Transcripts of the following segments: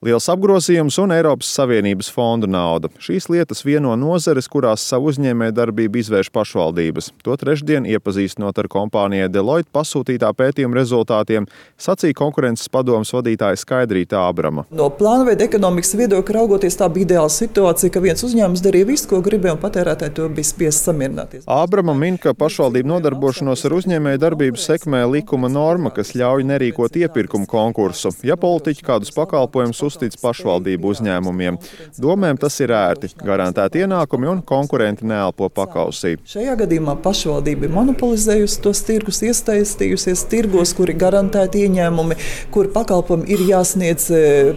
Liels apgrozījums un Eiropas Savienības fondu nauda. Šīs lietas vieno nozares, kurās savu uzņēmējdarbību izvērš pašvaldības. To trešdien, iepazīstinot ar kompānijai Deloitte pasūtītā pētījuma rezultātiem, sacīja konkurences padomes vadītāja Skaidrīta Ābrama. No plānveida ekonomikas viedokļa raugoties, tā bija ideāla situācija, ka viens uzņēmums darīja visu, ko gribēja, un patērētāji to bija spiests samierināties. Ābrama min, ka pašvaldību nodarbošanos ar uzņēmējdarbību sekmē likuma norma, kas ļauj nerīkot iepirkumu konkursu, ja politiķi kādus pakalpojumus uztic pašvaldību uzņēmumiem. Domēm tas ir ērti, garantēti ienākumi un konkurenti neelpo pakausī. Šajā gadījumā pašvaldība ir monopolizējusi tos tirgus, iesaistījusies tirgos, kuri garantēti ieņēmumi, kuri pakalpojumi ir jāsniedz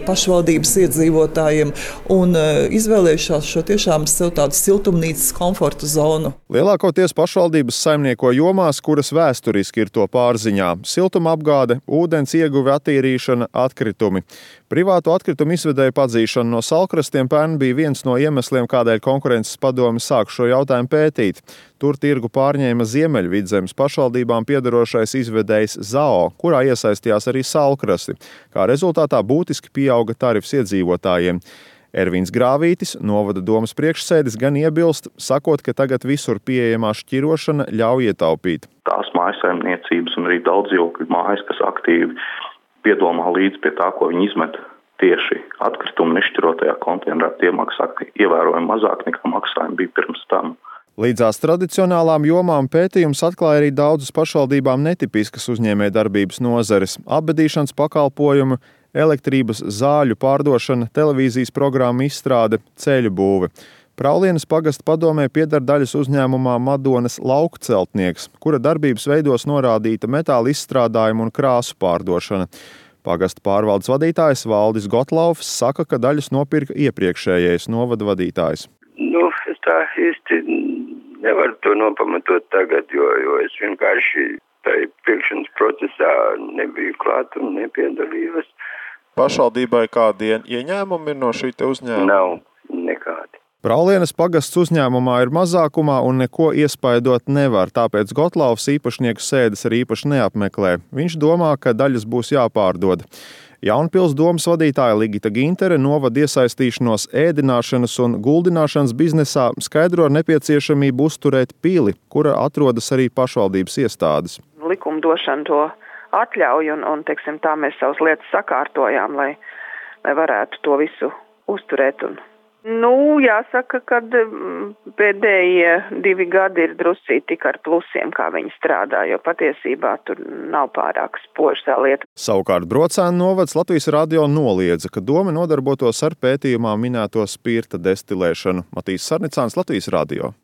pašvaldības iedzīvotājiem un izvēlējušās šo tiešām sev tādu siltumnīcas komforta zonu. Lielākoties pašvaldības saimnieko jomās, kuras vēsturiski ir to pārziņā - siltuma apgāde, ūdens ieguve, attīrīšana, atkritumi. Privāto atkritumu izvedēju padzīšana no salkrastiem pērn bija viens no iemesliem, kādēļ konkurences padome sāk šo jautājumu pētīt. Tur tirgu pārņēma Ziemeļvidzemes pašvaldībām piederošais izvedējs ZAO, kurā iesaistījās arī salkrasti. Kā rezultātā būtiski pieauga tarifs iedzīvotājiem. Ervīns Grāvītis, novada domes priekšsēdis, gan iebilst, sakot, ka tagad visur pieejamā šķirošana ļauj ietaupīt. Tās mājsaimniecības un arī daudzdzīvokļu mājas, kas aktīvi piedomā līdz pie tā, ko viņi izmet tieši atkritumu nešķirotajā konteinerā, tie maksā ievērojami mazāk nekā maksājumi bija pirms tam. Līdzās tradicionālām jomām pētījums atklāja arī daudzas pašvaldībām netipiskas uzņēmējdarbības nozares - apbedīšanas pakalpojumu, elektrības, zāļu pārdošana, televīzijas programmu izstrāde, ceļu būve. Praulienas pagasta padomē pieder daļas uzņēmumā Madonas Laukceltnieks, kura darbības veidos norādīta metāla izstrādājumu un krāsu pārdošana. Pagasta pārvaldes vadītājs Valdis Gotlaufs saka, ka daļas nopirka iepriekšējais novada vadītājs. Es tā īsti nevaru to nopamatot tagad, jo es vienkārši tai pirkšanas procesā nebiju klāt un nepiedalījos. Pašvaldībai kādi ieņēmumi ir no šī te uzņēmuma? Nav nekādi. Praulienas pagasts uzņēmumā ir mazākumā un neko iespaidot nevar, tāpēc Gotlaufs īpašnieku sēdes arī īpaši neapmeklē. Viņš domā, ka daļas būs jāpārdod. Jaunpils domes vadītāja Ligita Gintere novada iesaistīšanos ēdināšanas un guldināšanas biznesā skaidro ar nepieciešamību uzturēt pili, kura atrodas arī pašvaldības iestādes. Likumdošana to atļauj un teiksim, tā mēs savas lietas sakārtojām, lai varētu to visu uzturēt. Jāsaka, ka pēdējie 2 gadi ir druscīgi tik ar plusiem, kā viņi strādā, jo patiesībā tur nav pārāk spoža tā lieta. Savukārt Brocēnu novads Latvijas radio noliedza, ka doma nodarbotos ar pētījumā minēto spirta destilēšanu. Matīs Sarnicāns, Latvijas radio.